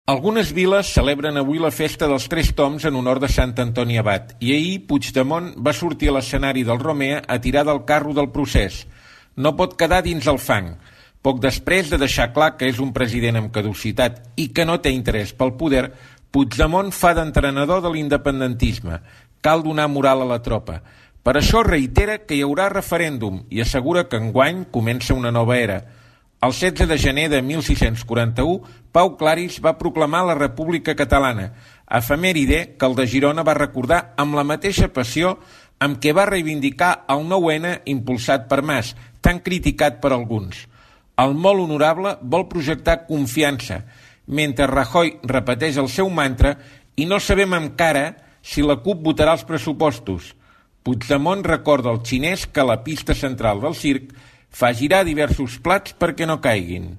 Algunes viles celebren avui la festa dels Tres Toms en honor de Sant Antoni Abat i ahir Puigdemont va sortir a l'escenari del Romea a tirar del carro del procés. No pot quedar dins el fang. Poc després de deixar clar que és un president amb caducitat i que no té interès pel poder, Puigdemont fa d'entrenador de l'independentisme. Cal donar moral a la tropa. Per això reitera que hi haurà referèndum i assegura que enguany comença una nova era. El 16 de gener de 1641, Pau Claris va proclamar la República Catalana, efemèride que el de Girona va recordar amb la mateixa passió amb què va reivindicar el 9-N impulsat per Mas, tan criticat per alguns. El molt honorable vol projectar confiança, mentre Rajoy repeteix el seu mantra i no sabem encara si la CUP votarà els pressupostos. Puigdemont recorda al xinès que la pista central del circ fa girar diversos plats perquè no caiguin.